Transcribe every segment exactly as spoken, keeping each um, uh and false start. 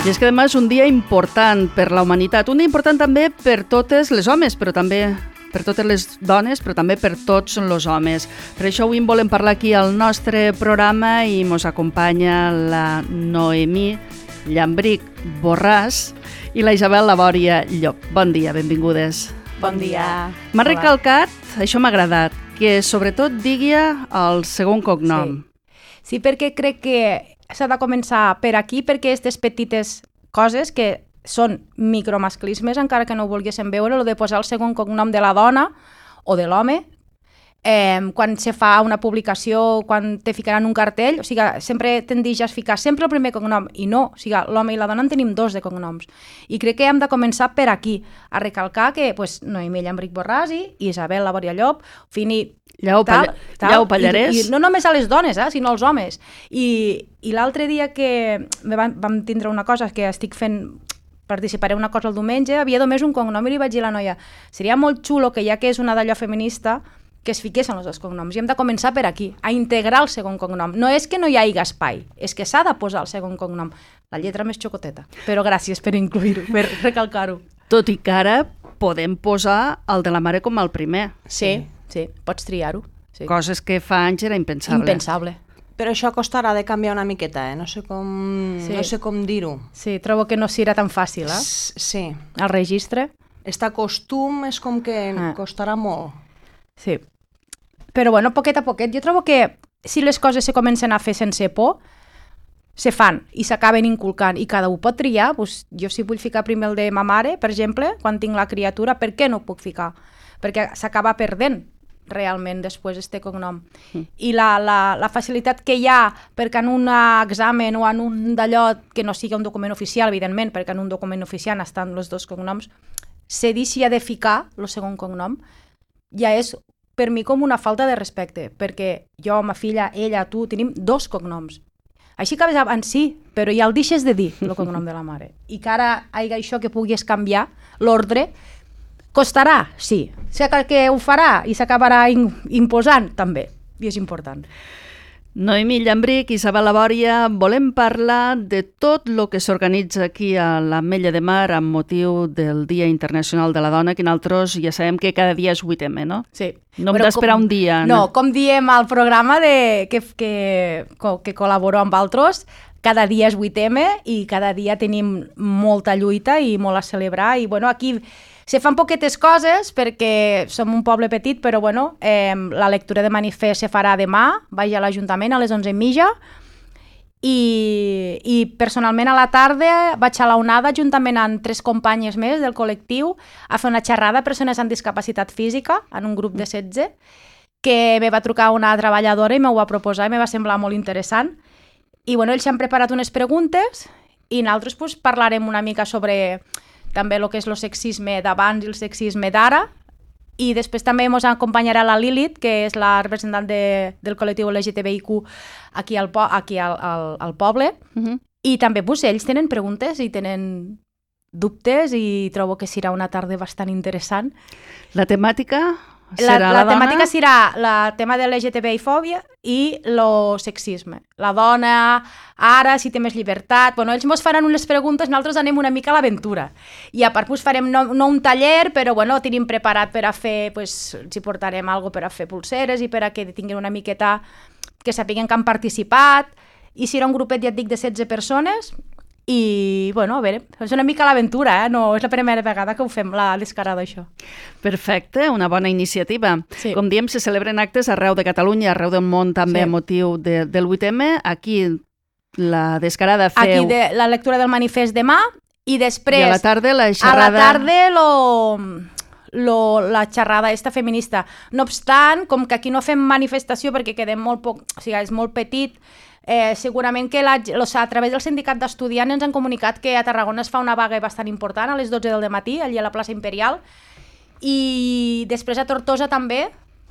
I és que demà és un dia important per la humanitat, un dia important també per totes les homes, però també per totes les dones, però també per tots els homes. Per això avui en volem parlar aquí al nostre programa i ens acompanya la Noemí Llambrich Borràs i la Isabel Labòria Llop. Bon dia, benvingudes. Bon dia. M'ha recalcat, això m'ha agradat, que sobretot digui el segon cognom. Sí. sí, perquè crec que s'ha de començar per aquí, perquè aquestes petites coses que són micromasclismes, encara que no ho volguéssim veure, el de posar el segon cognom de la dona o de l'home, eh, quan se fa una publicació, quan te ficaran un cartell, o sigui, sempre tendeix a ficar sempre el primer cognom, i no, o sigui, l'home i la dona en tenim dos de cognoms. I crec que hem de començar per aquí, a recalcar que pues, Noemí Llambrich Borràs i Isabel Labòria Llop, Fini, Llau, tal, tal, Llau Pallarès. I, i no només a les dones, eh, sinó als homes. I, i l'altre dia que vam, vam tindre una cosa que estic fent, participaré una cosa el diumenge, havia només un cognom i li vaig dir a la noia, seria molt xulo que ja que és una d'allò feminista, que es fiquessin els dos cognoms. I hem de començar per aquí, a integrar el segon cognom. No és que no hi hagi espai, és que s'ha de posar el segon cognom. La lletra més xocoteta. Però gràcies per incluir-ho, per recalcar-ho. Tot i que ara podem posar el de la mare com el primer. Sí, sí, pots triar-ho. Sí. Coses que fa anys era impensable. Impensable. Però això costarà de canviar una miqueta, eh? No sé com, Sí. no sé com dir-ho. Sí, trobo que no serà tan fàcil, eh? S- Sí. El registre. Este costum és com que Ah. costarà molt. Sí. Però bueno, poquet a poquet. Jo trobo que si les coses se comencen a fer sense por, se fan i s'acaben inculcant i cada un pot triar. Doncs jo si vull ficar primer el de ma mare, per exemple, quan tinc la criatura, per què no ho puc ficar? Perquè s'acaba perdent realment després este cognom. Mm. I la, la, la facilitat que hi ha perquè en un examen o en un d'allò que no sigui un document oficial, evidentment, perquè en un document oficial estan els dos cognoms, se deixi de ficar el segon cognom, ja és per mi com una falta de respecte, perquè jo, ma filla, ella, tu, tenim dos cognoms. Així acabes en sí, però ja el deixes de dir, el cognom de la mare. I que ara hi hagi això que puguis canviar, l'ordre, costarà, sí. Sé que ho farà i s'acabarà imposant, també. I és important. Noemí Llambrich, Isabel Labòria, volem parlar de tot el que s'organitza aquí a l'Ametlla de Mar amb motiu del Dia Internacional de la Dona, que nosaltres ja sabem que cada dia és vuit eme, no? Sí. No hem d'esperar un dia. No, com diem al programa de, que, que, que col·laboro amb altres, cada dia és vuit eme i cada dia tenim molta lluita i molt a celebrar. I bueno, aquí se fan poquetes coses perquè som un poble petit, però bueno, eh, la lectura de manifest se farà demà, vaig a l'Ajuntament a les onze i mitja i, i personalment a la tarda vaig a la onada juntament amb tres companyes més del col·lectiu a fer una xerrada a persones amb discapacitat física en un grup de setze que me va trucar una treballadora i m'ho va proposar i me va semblar molt interessant. I bueno, ells han preparat unes preguntes i nosaltres pues, parlarem una mica sobre també el que és el sexisme d'abans i el sexisme d'ara, i després també ens acompanyarà la Lilith, que és la representant de, del col·lectiu L G T B I Q aquí al, po aquí al, al, al poble, uh -huh. i també pues, ells tenen preguntes i tenen dubtes i trobo que serà una tarda bastant interessant. La temàtica La, serà la, la temàtica dona? serà el tema de L G T B I-fòbia i el sexisme. La dona, ara, si té més llibertat... Bueno, ells ens faran unes preguntes, nosaltres anem una mica a l'aventura. I a part pues, farem no, no un taller, però bueno, tenim preparat per a fer... Pues, si portarem alguna per a fer pulseres i per a que tinguin una miqueta... que sapiguen que han participat. I serà un grupet, ja et dic, de setze persones. I, bueno, a veure, és una mica l'aventura, eh? No és la primera vegada que ho fem, la descarada, això. Perfecte, una bona iniciativa. Sí. Com diem, se celebren actes arreu de Catalunya, arreu del món també Sí. a motiu de, del vuit eme. Aquí la descarada feu... Aquí de, la lectura del manifest demà i després... I a la tarda la xerrada... A la tarda lo, lo, la xerrada esta feminista. No obstant, com que aquí no fem manifestació perquè quedem molt poc... O sigui, és molt petit... Eh, segurament que la, los, a través del sindicat d'estudiants ens han comunicat que a Tarragona es fa una vaga bastant important a les dotze del matí, allà a la plaça Imperial, i després a Tortosa també,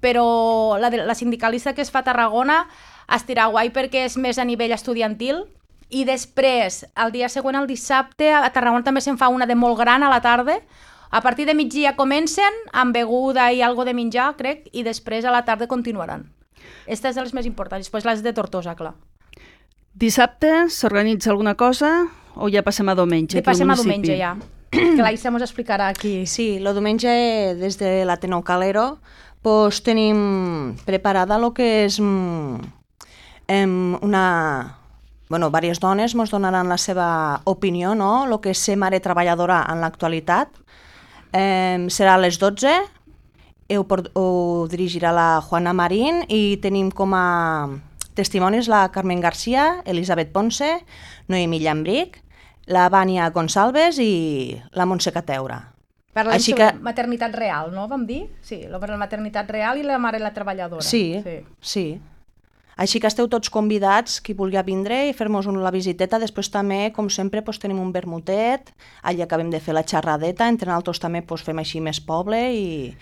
però la, la sindicalista que es fa a Tarragona estirà guai perquè és més a nivell estudiantil, i després, el dia següent, el dissabte, a Tarragona també se'n fa una de molt gran a la tarda. A partir de migdia comencen amb beguda i algo de menjar, crec, i després a la tarda continuaran. Aquestes són les més importants, després les de Tortosa, clar. Dissabte s'organitza alguna cosa? o ja passem a diumenge? Ja passem a diumenge, ja. Que la Isa mos explicarà aquí. Sí, el diumenge des de l'Ateneu Calero pues, tenim preparada el que és mm, una... Bueno, diverses dones ens donaran la seva opinió, no? El que és ser mare treballadora en l'actualitat. Eh, serà a les dotze, ho, ho dirigirà la Juana Marín i tenim com a testimonis la Carmen García, Elisabet Ponce, Noemí Llambric, la Vània Gonçalves i la Montse Cateura. Parlem Així sobre que... maternitat real, no? Vam dir? Sí, la maternitat real i la mare la treballadora. Sí, sí. sí. Així que esteu tots convidats, qui vulgui vindre i fer-nos la visiteta. Després també, com sempre, doncs, tenim un vermutet, allà acabem de fer la xerradeta, entre nosaltres també doncs, fem així més poble i,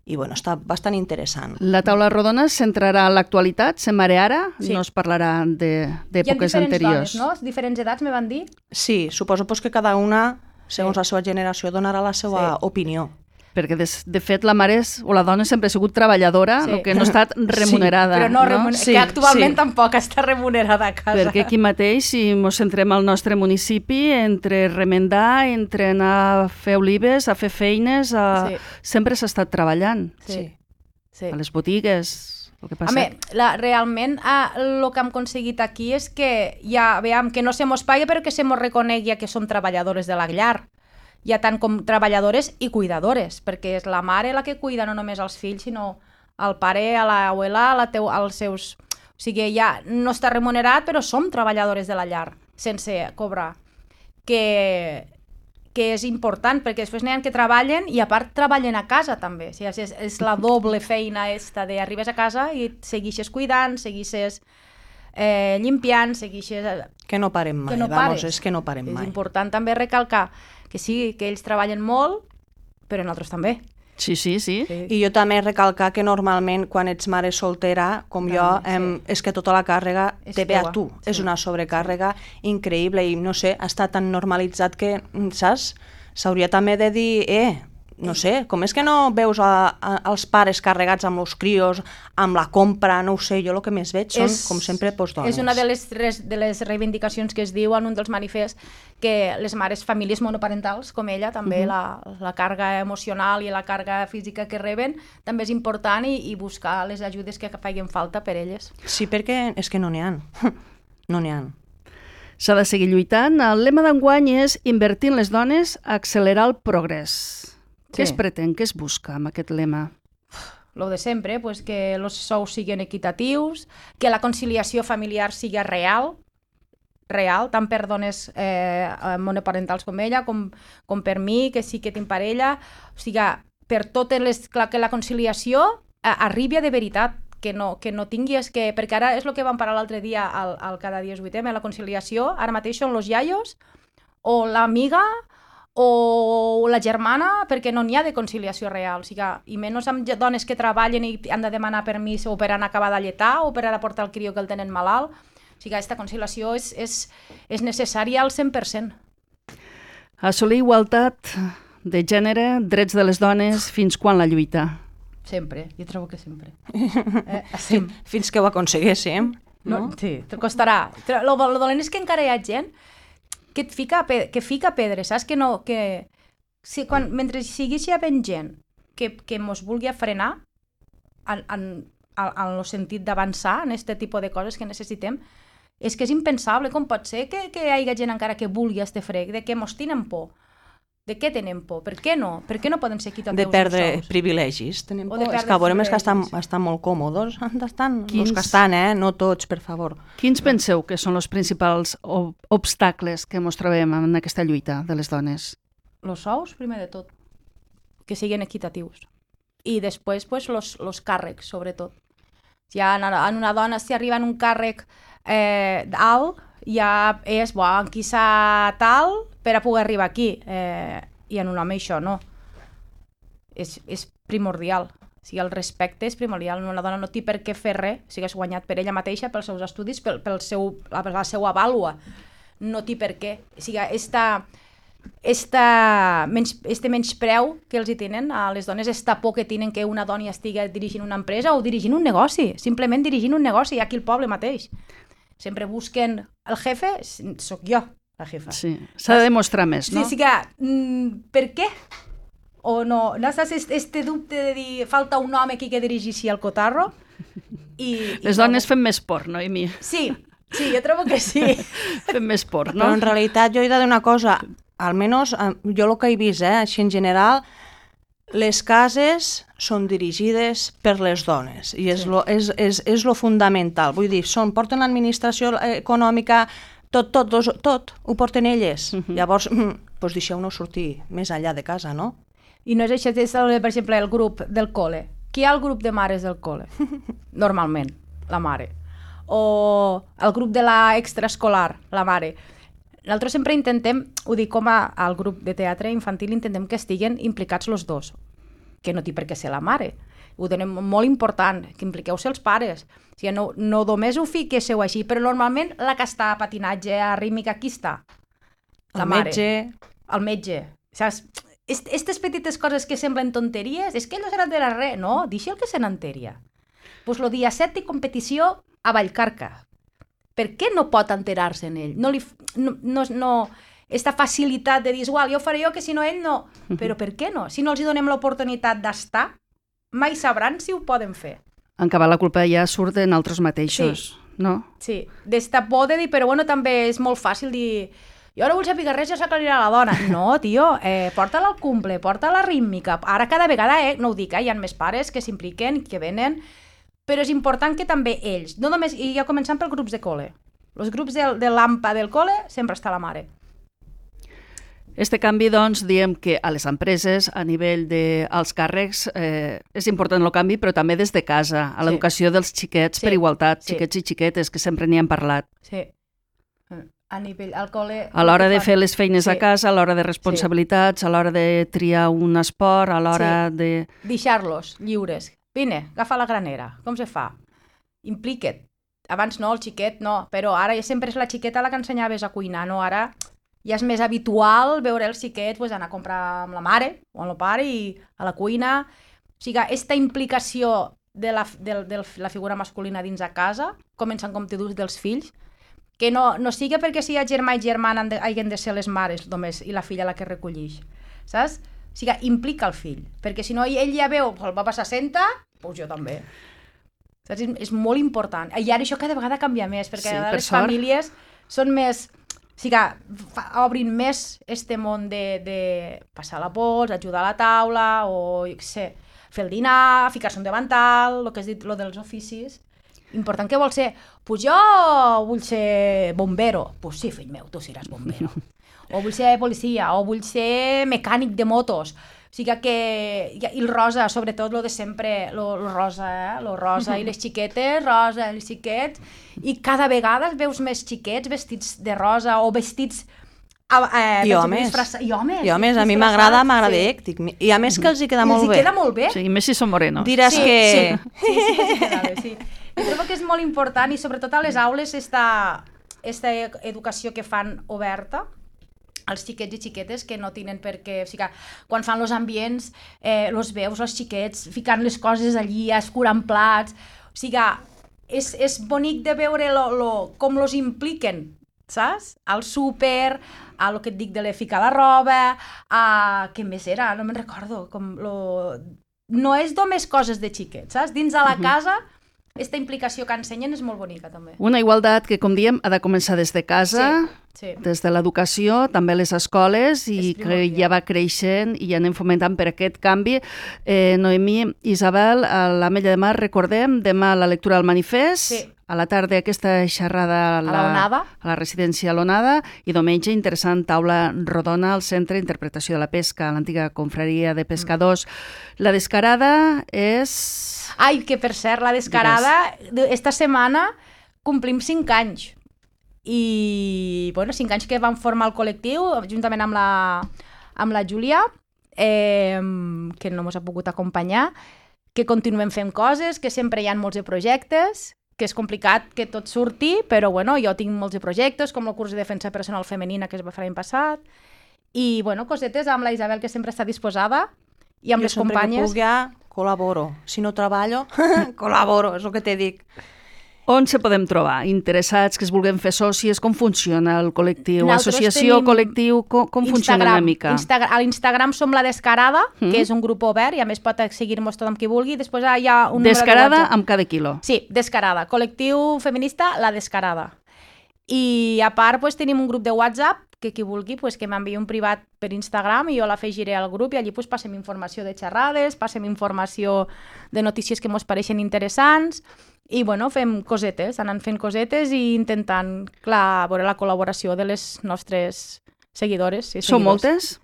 i bueno, està bastant interessant. La taula rodona es centrarà en l'actualitat, se'n marearà, sí. No es parlarà d'èpoques anteriors. Dones, no? Diferents edats, me van dir? Sí, suposo pues, que cada una, segons sí. la seva generació, donarà la seva sí. opinió. Perquè, de, de fet, la mare és, o la dona sempre ha sigut treballadora, sí. el que no ha estat remunerada. Sí, però no, remuner... no? Sí, que actualment sí. tampoc està remunerada a casa. Perquè aquí mateix, si ens centrem al nostre municipi, entre remendar, entre anar a fer olives, a fer feines, a... sí. sempre s'ha estat treballant. Sí. Sí. A les botigues... El que passa... Home, la, realment el que hem aconseguit aquí és que ja veiem que no se mos paga però que se mos reconegui que som treballadores de la llar. Ja tant com treballadores i cuidadores, perquè és la mare la que cuida no només els fills, sinó el pare, a l'abuela, a la teu, als seus... O sigui, ja no està remunerat, però som treballadores de la llar, sense cobrar. Que, que és important, perquè després n'hi ha que treballen i a part treballen a casa també. O sigui, és, és la doble feina esta d'arribes a casa i seguixes cuidant, seguixes eh, limpiant, seguixes... Que no parem mai, que no vamos, és que no parem és mai. És important també recalcar que sí, que ells treballen molt, però nosaltres també. Sí, sí, sí, sí. I jo també recalcar que normalment quan ets mare soltera, com també, jo, em, sí. és que tota la càrrega és te ve a tu. Sí. És una sobrecàrrega increïble i no sé, està tan normalitzat que, saps? S'hauria també de dir, eh, no sé, com és que no veus a, a, els pares carregats amb els crios, amb la compra, no ho sé, jo el que més veig són, és, com sempre, doncs, dones. És una de les, de les reivindicacions que es diu en un dels manifests, que les mares, famílies monoparentals, com ella, també uh-huh. la, la càrrega emocional i la càrrega física que reben, també és important i, i buscar les ajudes que facin falta per elles. Sí, perquè és que no n'hi ha. No n'hi ha. S'ha de seguir lluitant. El lema d'enguany és invertir en les dones, accelerar el progrés. Sí. Què es pretén, què es busca amb aquest lema? Lo de sempre, pues que els sous siguin equitatius, que la conciliació familiar sigui real, real, tant per dones eh, monoparentals com ella, com, com per mi, que sí que tinc parella, o sigui, per totes les... que la conciliació eh, arribi de veritat, que no, que no tinguis que... Perquè ara és el que vam parar l'altre dia al, al Cada dia es vuitem, la conciliació, ara mateix són els iaios, o l'amiga, o la germana, perquè no n'hi ha de conciliació real, o sigui, i menys amb dones que treballen i han de demanar permís o per anar a acabar de lletar o per anar a portar el crió que el tenen malalt. O sigui, aquesta conciliació és, és, és necessària al cent per cent. Assolir igualtat de gènere, drets de les dones, fins quan la lluita? Sempre, jo trobo que sempre. Eh, sempre. Fins que ho aconseguéssim. No? No? Sí, te costarà. Lo, lo dolent és que encara hi ha gent que et fica, que fica pedres, saps? Que no, que... Si, quan, mentre sigui havent gent que, que mos vulgui frenar en, en, en el sentit d'avançar en aquest tipus de coses que necessitem, és que és impensable. Com pot ser que, que hi hagi gent encara que vulgui este frec, de que mos tenen por? De què tenen por? Per què no? Per què no poden ser equitatius? De perdre privilegis. Tenim por. És que veurem que estan, estan molt còmodes. Estan, Quins... Els que estan, eh? No tots, per favor. Quins penseu que són els principals obstacles que ens trobem en aquesta lluita de les dones? Els sous, primer de tot. Que siguin equitatius. I després, pues, los, los càrrecs, sobretot. Ja en una dona, si arriba en un càrrec eh, alt, ja és, bo, en qui s'ha tal per a poder arribar aquí. Eh, I en un home això no. És, és primordial. O sigui, el respecte és primordial. Una dona no té per què fer res, o sigui, és guanyat per ella mateixa, pels seus estudis, pel, pel seu, per la seva vàlua. No té per què. O sigui, esta, esta menys, este menyspreu que els hi tenen a les dones, esta por que tenen que una dona estigui dirigint una empresa o dirigint un negoci, simplement dirigint un negoci aquí al poble mateix. Sempre busquen el jefe, sóc jo, la jefa. Sí, s'ha de demostrar més, no? Sí, sí que, mm, per què? O no, no saps este, este dubte de dir falta un home aquí que dirigeixi el cotarro? I, Les i dones no... fem més por, no, Emi? Sí, sí, jo trobo que sí. Fem més por, no? Però en realitat jo he de dir una cosa, almenys jo el que he vist, eh, així en general, les cases són dirigides per les dones i és, sí. lo, és, és, és lo fundamental. Vull dir, són, porten l'administració econòmica, tot, tot, tot, tot ho porten elles. Uh-huh. Llavors, doncs deixeu-nos sortir més enllà de casa, no? I no és això, és, per exemple, el grup del col·le. Qui hi ha el grup de mares del col·le? Normalment, la mare. O el grup de la extraescolar, la mare. Nosaltres sempre intentem, ho dic com a, al grup de teatre infantil, intentem que estiguen implicats els dos, que no té per què ser la mare. Ho donem molt important, que impliqueu-se els pares. O sigui, no, no només ho fiquéssiu així, però normalment la que està a patinatge, a rítmica, qui està? La el mare. metge. El metge. Saps? Aquestes petites coses que semblen tonteries, és que ell no se n'entera res, no? Deixa'l que se n'enteria. Doncs pues el dia set de competició a Vallcarca. Per què no pot enterar-se en ell? No li... No, no, no, esta facilitat de dir, igual, jo ho faré jo, que si no ell no. Però per què no? Si no els hi donem l'oportunitat d'estar, mai sabran si ho poden fer. En acabar la culpa ja surt en altres mateixos, sí. No? Sí, d'esta por de dir, però bueno, també és molt fàcil dir... Jo ara vull saber res, ja s'aclarirà la dona. No, tio, eh, porta-la al cumple, porta-la rítmica. Ara cada vegada, eh, no ho dic, eh, hi ha més pares que s'impliquen, que venen, però és important que també ells, no només, i ja començant pels grups de col·le. Els grups de, de l'AMPA del col·le sempre està la mare. Este canvi, doncs, diem que a les empreses, a nivell dels càrrecs, eh, és important el canvi, però també des de casa, a l'educació sí. dels xiquets sí. per igualtat, sí. xiquets i xiquetes, que sempre n'hi han parlat. Sí. A nivell al col·le... A l'hora de fer les feines sí. a casa, a l'hora de responsabilitats, sí. a l'hora de triar un esport, a l'hora sí. de... Deixar-los lliures. Vine, agafa la granera. Com se fa? Implica't. Abans no, el xiquet no, però ara sempre és la xiqueta la que ensenyaves a cuinar, no? Ara ja és més habitual veure els xiquets pues, anar a comprar amb la mare o amb el pare i a la cuina. O sigui, aquesta implicació de la, de, de la figura masculina dins a casa, començant, com tu dius, dels fills, que no, no sigui perquè si hi ha germà i germana hagin de ser les mares només i la filla la que recollix, saps? O sigui, implica el fill, perquè si no ell ja veu, el papa s'assenta, doncs jo també. Saps? És, és molt important. I ara això cada vegada canvia més, perquè sí, per les sort. Famílies són més... O sigui, fa, obrin més este món de, de passar la pols, ajudar a la taula, o jo què sé, fer el dinar, ficar-se un davantal, el que has dit, lo dels oficis. Important, què vol ser? Pues jo vull ser bombero. Pues sí, fill meu, tu seràs bombero. O vull ser policia, o vull ser mecànic de motos. O sigui que... I el rosa, sobretot, lo de sempre, lo, lo rosa, eh? Lo rosa i les xiquetes, rosa i els xiquets. I cada vegada veus més xiquets vestits de rosa o vestits... Eh, I homes. Disfraça... I homes. I homes, a mi m'agrada, m'agrada sí. èctic. I a més que els hi queda molt bé. Els hi queda molt bé. Sí, més si són morenos. Diràs sí, que... Sí, sí, sí, sí, sí, queda bé, sí. Jo trobo que és molt important i sobretot a les aules esta, esta educació que fan oberta als xiquets i xiquetes que no tenen per què... O sigui, quan fan els ambients, eh, els veus, els xiquets, ficant les coses allí, escurant plats... O sigui, és, és bonic de veure lo, lo, com los impliquen, saps? Al súper, a lo que et dic de le ficar la roba, a... Què més era? No me'n recordo. Com lo... No és només coses de xiquets, saps? Dins de la casa... Aquesta implicació que ensenyen és molt bonica, també. Una igualtat que, com diem, ha de començar des de casa, sí, sí. des de l'educació, també les escoles, i que ja va creixent i ja anem fomentant per aquest canvi. Eh, Noemí, Isabel, a l'Ametlla de Mar, recordem, demà la lectura del manifest, sí. a la tarda aquesta xerrada a la, a, la a la residència L'Onada, i diumenge interessant taula rodona al Centre d'Interpretació de la Pesca, a l'antiga confraria de pescadors. Mm. La descarada és... Ai, que per cert, la descarada, esta setmana complim cinc anys. I, bueno, cinc anys que vam formar el col·lectiu, juntament amb la, amb la Júlia, eh, que no ens ha pogut acompanyar, que continuem fent coses, que sempre hi ha molts de projectes, que és complicat que tot surti, però bueno, jo tinc molts de projectes, com el curs de defensa personal femenina que es va fer l'any passat, i bueno, cosetes amb la Isabel, que sempre està disposada, i amb jo les companyes... Jo sempre que pugui col·laboro. Si no treballo, col·laboro, és el que t'he dit. On se podem trobar? Interessats que es vulguin fer socis? Com funciona el col·lectiu? Nosaltres Associació, tenim col·lectiu? Com, com funciona una mica? Instagram. A l'Instagram som La Descarada, Mm. que és un grup obert i a més pot seguir-nos tothom qui vulgui. Després hi ha un número de Descarada WhatsApp. amb cada quilo. Sí, Descarada. Col·lectiu feminista La Descarada. I a part pues, tenim un grup de WhatsApp que qui vulgui pues, que m'enviï un privat per Instagram i jo l'afegiré al grup i allí pues, passem informació de xerrades, passem informació de notícies que ens pareixen interessants i bueno, fem cosetes, anant fent cosetes i intentant, clar, veure la col·laboració de les nostres seguidores i seguidors. Són moltes?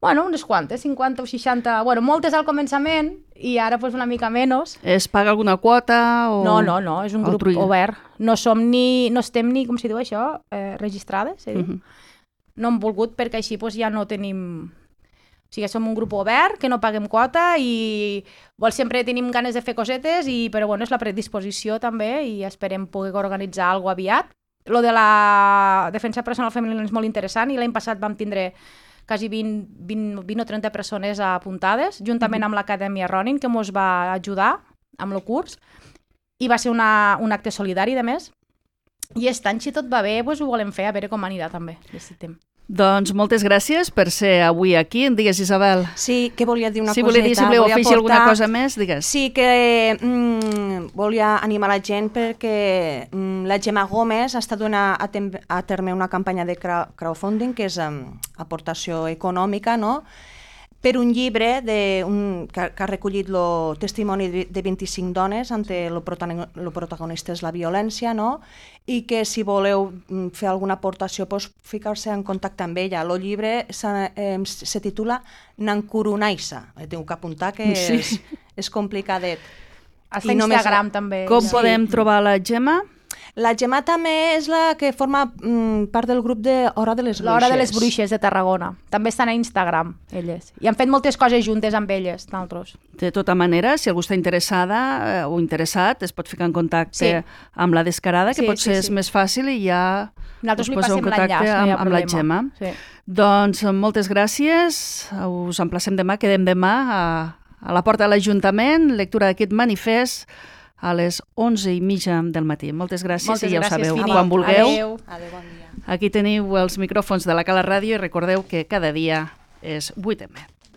Bueno, unes quantes, cinquanta o seixanta, bueno, moltes al començament i ara pues, una mica menys. Es paga alguna quota? O... No, no, no, és un grup altruista? obert. No som ni, no estem ni, com s'hi diu això, eh, registrades, eh? Mhm. No hem volgut perquè així pues, ja no tenim... O sigui, som un grup obert, que no paguem quota i vol, sempre tenim ganes de fer cosetes, i, però bueno, és la predisposició també i esperem poder organitzar alguna cosa aviat. Lo de la defensa personal femenina és molt interessant i l'any passat vam tindre quasi vint, vint, vint o trenta persones apuntades, juntament amb l'Acadèmia Ronin, que ens va ajudar amb el curs, i va ser una, un acte solidari, de més. I aquest any, si tot va bé, doncs ho volem fer, a veure com anirà també. Necessitem. Doncs moltes gràcies per ser avui aquí. En digues, Isabel. Sí, que volia dir una si coseta. volia dir, si voleu volia afegir portar... alguna cosa més, digues. Sí, que mm, volia animar la gent perquè mm, la Gemma Gómez està donant a, a, tem a terme una campanya de crowdfunding, que és um, aportació econòmica, no?, per un llibre de un, que, que ha recollit el testimoni de, de vint-i-cinc dones on el protagonista és la violència, no? I que si voleu fer alguna aportació, pues, ficar-se en contacte amb ella. El llibre se, eh, se titula Nankurunaisa. Tinc que apuntar que Sí. és, és complicadet. Hasta I només- Instagram també. Com Sí. podem trobar la Gemma? La Gemma també és la que forma mm, part del grup de Hora de les Bruixes. L'Hora de les Bruixes de Tarragona. També estan a Instagram, elles. I han fet moltes coses juntes amb elles, nosaltres. De tota manera, si algú està interessada eh, o interessat, es pot ficar en contacte Sí. amb la Descarada, que Sí, potser sí, és sí. més fàcil i ja Nosaltres us li poseu en passem contacte l'enllaç, no hi amb, ha amb la problema. Gemma. Sí. Doncs moltes gràcies, us emplacem demà, quedem demà a, a la porta de l'Ajuntament, lectura d'aquest manifest a les onze i mitja del matí. Moltes gràcies Moltes i ja ho gràcies, sabeu, Fini. quan vulgueu. Adéu. Adéu, bon dia. Aquí teniu els micròfons de la Cala Ràdio i recordeu que cada dia és vuit eme.